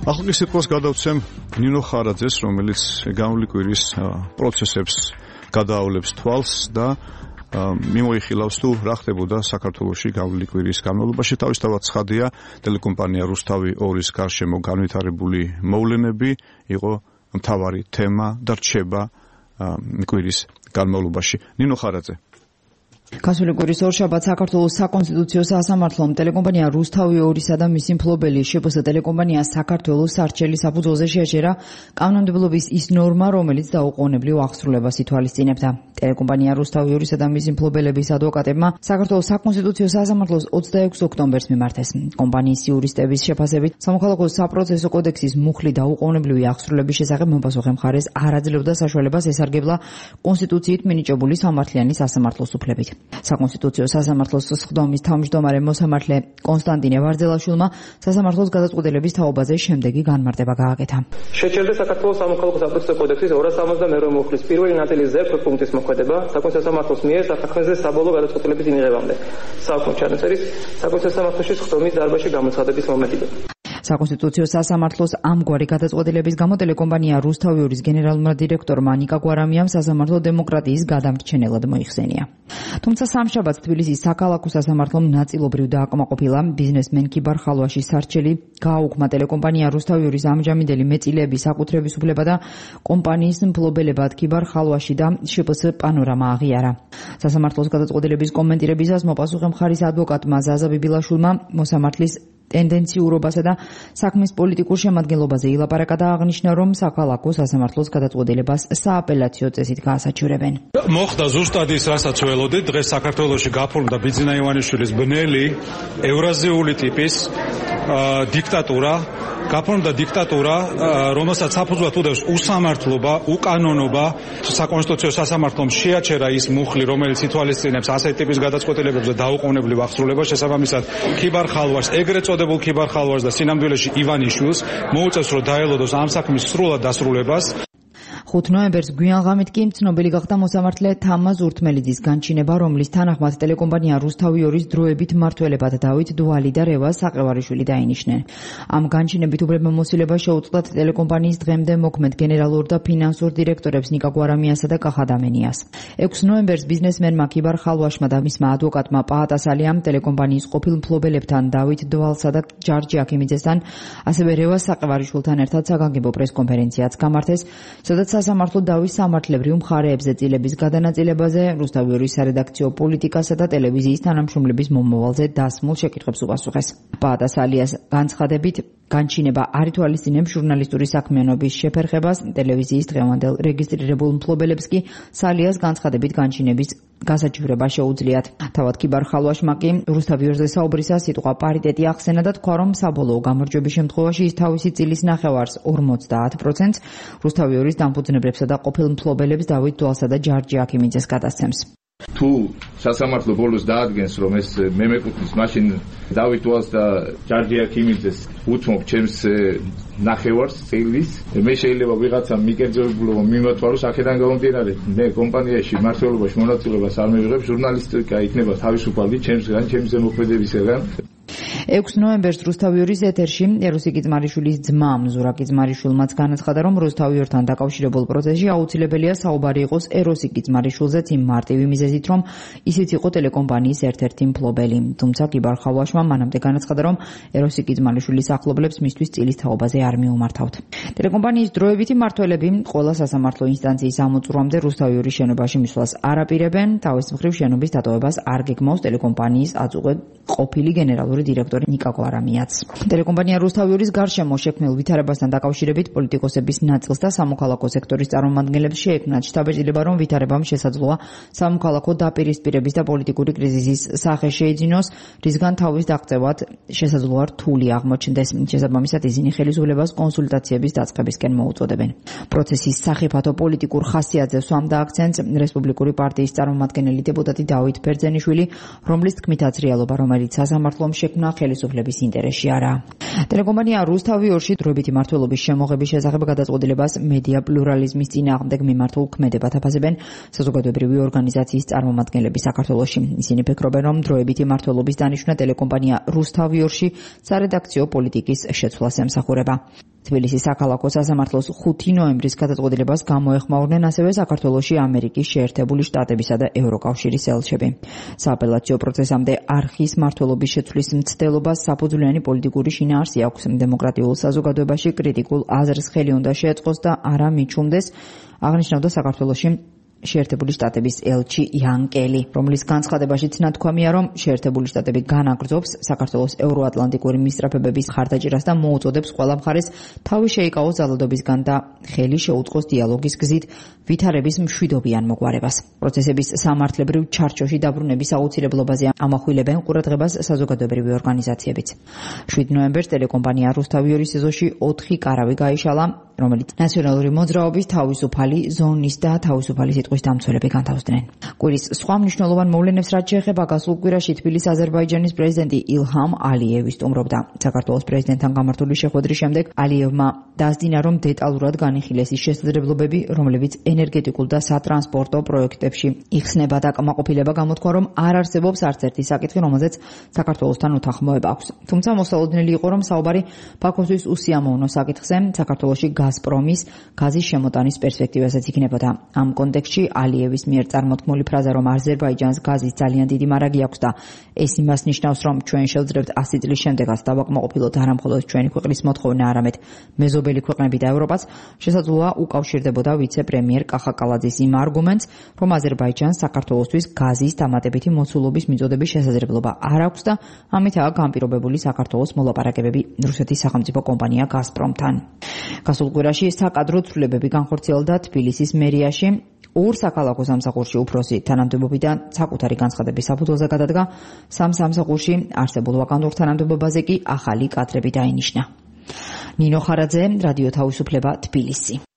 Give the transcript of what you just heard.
ახლა კი სიტყვას გადავცემ ნინო ხარაძეს, რომელიც გამოვლი კვირის პროცესებს გადაავლებს თვალს და მიმოიხილავს თუ რა ხდებოდა საქართველოში გამოვლი კვირის განმავლობაში. თავისთავად ცხადია, ტელეკომპანია რუსთავი 2-ის გარშემო განვითარებული მოვლენები იყო მთავარი თემა და რჩება კვირის განმავლობაში. ნინო ხარაძე. გასული კვირის ორშაბათს საქართველოს საკონსტიტუციო სასამართლომ ტელეკომპანია რუსთავი 2-ისა და მისი მფლობელი შპს ტელეკომპანია საქართველოს სარჩელი საფუძველზე შეაჩერა კანონმდებლობის ის ნორმა, რომელიც დაუყოვნებლივ აღსრულებას ითვალისწინებდა. ტელეკომპანია რუსთავი 2-ისა და მისი მფლობელების ადვოკატებმა საქართველოს საკონსტიტუციო სასამართლოს 26 ოქტომბერს მიმართეს. კომპანიის იურისტების შეფასებით, სამოქალაქო საპროცესო კოდექსის მუხლი დაუყოვნებლივი აღსრულების შესახებ მოპასუხე მხარეს არ აძლევდა საშუალებას ესარგებლა კონსტიტუციით მინიჭებული სამართლიანი სასამართლოს უფლებით. საკონსტიტუციო სასამართლოს სხდომის თავმჯდომარე მოსამართლე კონსტანტინე ვარძელაშვილმა სასამართლოს გადაწყვეტილების თაობაზე შემდეგი განმარტება გააკეთა. შეჩერდა საქართველოს სამოქალაქო საპროცესო კოდექსის 272 მუხლის პირველი ნაწილის ზეპ პუნქტის მოქმედება საკონსტიტუციო სასამართლოს მიერ საფრთხეზე საბოლოო გადაწყვეტილების ინიღებამდე. საქმე ჩანაწერის საკონსტიტუციო სასამართლოში სხდომის დარბაზში გამოცხადების მომენტიდან. საკონსტიტუციო სასამართლოს ამგვარი გადაწყვეტილების გამო ტელეკომპანია რუსთავი 2-ის გენერალურმა დირექტორმა ნიკა გვარამიამ სასამართლო დემოკრატიის გადამრჩენელად მოიხსენია. თუმცა სამშაბათს თბილისის საქალაქო სასამართლომ ნაწილობრივ დააკმაყოფილა ბიზნესმენ კიბარ ხალვაშის სარჩელი, გააუქმა ტელეკომპანია რუსთავი 2-ის ამჟამინდელი მეწილეების საკუთრების უფლება და კომპანიის მფლობელებად კიბარ ხალვაში და შპს პანორამა აღიარა. სასამართლოს გადაწყვეტილების კომენტირებისას მოპასუხე მხარის ადვოკატმა ზაზა ბიბილაშვილმა მოსამართლის ტენდენციურობასა და საქმის პოლიტიკურ შემადგენლობაზე ილაპარაკა და აღნიშნა, რომ საქალაქო სასამართლოს გადაწყვეტილებას სააპელაციო წესით გაასაჩივრებენ. მოხდა ზუსტად ის, რასაც ველოდით, დღეს საქართველოში გაფორმდა ბიძინა ივანიშვილის ბნელი ევრაზიული ტიპის დიქტატურა, გაფორმდა დიქტატურა, რომელსაც საფუძვლად უდევს უსამართლობა, უკანონობა. საკონსტიტუციო სასამართლომ შეაჩერა ის მუხლი, რომელიც ითვალისწინებს ასეთი ტიპის გადაწყვეტილებებზე დაუყოვნებლივ აღსრულებას, შესაბამისად კიბარ ხალვაშს, ეგრეთ წოდებულ კიბარ ხალვაშს და სინამდვილეში ივანიშვილს მოუწევს, რომ დაელოდოს ამ საქმის სრულად დასრულებას. 5 ნოემბერს გვიანღამით კი ცნობილი გახდა მოსამართლე თამაზ ურთმელიძის განჩინება, რომლის თანახმად ტელეკომპანია რუსთავი 2-ის დროებით მმართველებად დავით დვალი და რევაზ საყევარიშვილი დაინიშნენ. ამ განჩინებით უფლებამოსილება შეუწყდათ ტელეკომპანიის დღემდე მოქმედ გენერალურ და ფინანსურ დირექტორებს ნიკა გვარამიასა და კახადამენიას. 6 ნოემბერს ბიზნესმენმა კიბარ ხალვაშმა და მისმა ადვოკატმა პაატასალიამ ტელეკომპანიის ყოფილ მფლობელებთან დავით დვალსა და ჯარჯი აქიმიძესთან, ასევე რევაზ საყევარიშვილთან ერთად საგანგებო პრესკონფერენციაც გამართეს, სადაც სასამართლო დავის სამართლებრივ მხარეებზე წილების გადანაწილებაზე, რუსთავი 2-ის სარედაქციო პოლიტიკასა და ტელევიზიის თანამშრომლების მომავალზე დასმულ შეკითხვებს უპასუხეს. პაატასალიას განცხადებით, განჩინება არ ითვალისწინებს ჟურნალისტური საქმიანობის შეფერხებას, ტელევიზიის დღევანდელ რეგისტრირებულ მფლობელებს კი სალიას განცხადებით განჩინების გასაჩივრება შეუძლიათ. თავად კიბარ ხალვაშმა კი რუსთავი 2-ზე საუბრისას სიტყვა პარიტეტი ახსენა და თქვა, რომ საბოლოო გამარჯვების შემთხვევაში ის თავისი წილის ნახევარს 50%, რუსთავი 2-ის დამფუძნებლებსა და ყოფილ მფლობელებს დავით დვალსა და ჯარჯი აქიმიძეს გადასცემს. თუ სასამართლო ბოლოს დაადგენს, რომ ეს მე მეკუთვნის, მაშინ დავით დვალს და ჯარჯი აქიმიძეს უთმობ ჩემს ნახევარს წილის, მე შეიძლება ვიღაცამ მიკერძოებულობა მიმოთვალოს აქედან გამომდინარე. მე კომპანიაში მმართველობაში მონაწილეობას არ მივიღებ, ჟურნალისტიკა იქნება თავისუფალი ჩემსგან, ჩემს ზემოქმედებისგან. 6 ნოემბერს რუსთავი 2-ის ეთერში ეროსი კიძმარიშვილის ძმა ზურაბ კიძმარიშვილმაც განაცხადა, რომ რუსთავი 2-თან დაკავშირებულ პროცესში აუცილებელია საუბარი იყოს ეროსი კიძმარიშვილზეც იმ მარტივი მიზეზით, რომ ისიც იყო ტელეკომპანიის ერთ-ერთი მფლობელი. თუმცა კიბარ ხალვაშმა მანამდე განაცხადა, რომ ეროსი კიძმარიშვილის ახლობლებს მისთვის წილის თაობაზე არ მიუმართავთ. ტელეკომპანიის დროებითი მმართველები ყველა სასამართლო ინსტანციის ამოწურვამდე რუსთავი 2-ის შენობაში მისვლას არ აპირებენ, თავის მხრივ შენობის დატოვებას არ გეგმავს ტელეკომპანიის აწუღე ყოფილი გენერალური დირექტორი ნიკა გვარამიაც. ტელეკომპანია რუსთავი 2-ის გარშემო შექმნილ ვითარებასთან დაკავშირებით პოლიტიკოსების ნაწილს და სამოქალაქო სექტორის წარმომადგენლებს შეექმნათ შთაბეჭდილება, რომ ვითარებამ შესაძლოა სამოქალაქო დაპირისპირების და პოლიტიკური კრიზისის სახე შეიძინოს, რისგან თავის დაღწევად შესაძლოა რთული აღმოჩნდეს. შესაბამისად ისინი ხელისუფლებას კონსულტაციების დაწყებისკენ მოუწოდებენ. პროცესის სახიფათო პოლიტიკურ ხასიათზე სვამდა აქცენტს რესპუბლიკური პარტიის წარმომადგენელი დეპუტატი დავით ბერძენიშვილი, რომლის თქმითაც რეალობა, რომელიც სასამართლომ შექმნა, ხელისუფლების ინტერესში არაა. ტელეკომპანია რუსთავი 2-ში დროებითი მმართველობის შემოღების შესახებ გადაწყვეტილებას მედია პლურალიზმის წინააღმდეგ მიმართულ ქმედებად აფასებენ საზოგადოებრივი ორგანიზაციის წარმომადგენლები საქართველოში. ისინი ფიქრობენ, რომ დროებითი მმართველობის დანიშვნა ტელეკომპანია რუსთავი 2-ში სარედაქციო პოლიტიკის შეცვლას ემსახურება. თბილისის საქალაქო სასამართლოს 5 ნოემბრის გადაწყვეტილებას გამოეხმაურნენ ასევე საქართველოში ამერიკის შეერთებული შტატებისა და ევროკავშირის ელჩები. სააპელაციო პროცესამდე არხის მმართველობის შეცვლის მცდელობას საფუძვლიანი პოლიტიკური შინაარსი აქვს. დემოკრატიულ საზოგადოებაში კრიტიკულ აზრს ხელი უნდა შეეწყოს და არა მიჩუმდეს, აღნიშნავდა საქართველოში შეერთებული შტატების ელჩი იან კელი, რომლის განცხადებაშიც ნათქვამია, რომ შეერთებული შტატები განაგრძობს საქართველოს ევროატლანტიკური მისწრაფებების ხარდაჭერას და მოუწოდებს ყველა მხარეს თავი შეიკავოს ძალადობისგან და ხელი შეუწყოს დიალოგის გზით ვითარების მშვიდობიან მოგვარებას. პროცესების სამართლებრივ ჩარჩოში დაბრუნების აუცილებლობაზე ამახვილებენ ყურადღებას საზოგადოებრივი ორგანიზაციებიც. 7 ნოემბერს ტელეკომპანია რუსთავი 2-ის ეზოში 4 კარავი გაიშალა, რომელიც ნაციონალური მოძრაობის თავისუფალი ზონის და თავისუფალი სიტყვის დამცველები განთავსდნენ. კვირის სხვა მნიშვნელოვან მოვლენებს რაც შეეხება გასულ კვირაში თბილისის აზერბაიჯანის პრეზიდენტი ილჰამ ალიევი სტუმრობდა. საქართველოს პრეზიდენტთან გამართული შეხვედრის შემდეგ ალიევმა დასძინა, რომ დეტალურად განიხილეს ის შესაძლებლობები, რომლებიც ენერგეტიკულ და სატრანსპორტო პროექტებში იხსნება და კმაყოფილება გამოთქვა, რომ არ არსებობს არც ერთი საკითხი, რომელზეც საქართველოსთან უთანხმოება აქვს. თუმცა მოსალოდნელი იყო, რომ საუბარი ბაქოსთვის უსიამოვნო საკითხზე, საქართველოში გაზპრომის გაზის შემოტანის პერსპექტივასაც იქნებოდა. ამ კონტექსტში ალიევის მიერ წარმოთქმული ფრაზა, რომ აზერბაიჯანს გაზის ძალიან დიდი მარაგი აქვს და ეს იმას ნიშნავს, რომ ჩვენ შევძლებთ 100 წლის შემდეგაც დავაკმაყოფილოთ არა მხოლოდ ჩვენი ქვეყნის მოთხოვნა, არამედ მეზობელი ქვეყნები და ევროპაც, შესაძლოა უკავშირდებოდა ვიცე-პრემიერ კახაკალაძის იმ არგუმენტს, რომ აზერბაიჯანს საქართველოსთვის გაზის დამატებითი მოცულობის მიწოდების შესაძლებლობა არ აქვს და ამითაა განპირობებული საქართველოს მოლაპარაკებები რუსეთის სახელმწიფო კომპანია გაზპრომთან. გასულ კვირაში საკადრო ცვლილებები განხორციელდა თბილისის მერიაში. 2 საქალაქო სამსახურში უფროსი თანამდებობიდან საკუთარი განცხადების საფუძველზე გადადგა, 3 სამსახურში არსებულ ვაკანტურ თანამდებობაზე კი ახალი კადრები დაინიშნა. ნინო ხარაძე, რადიო თავისუფლება, თბილისი.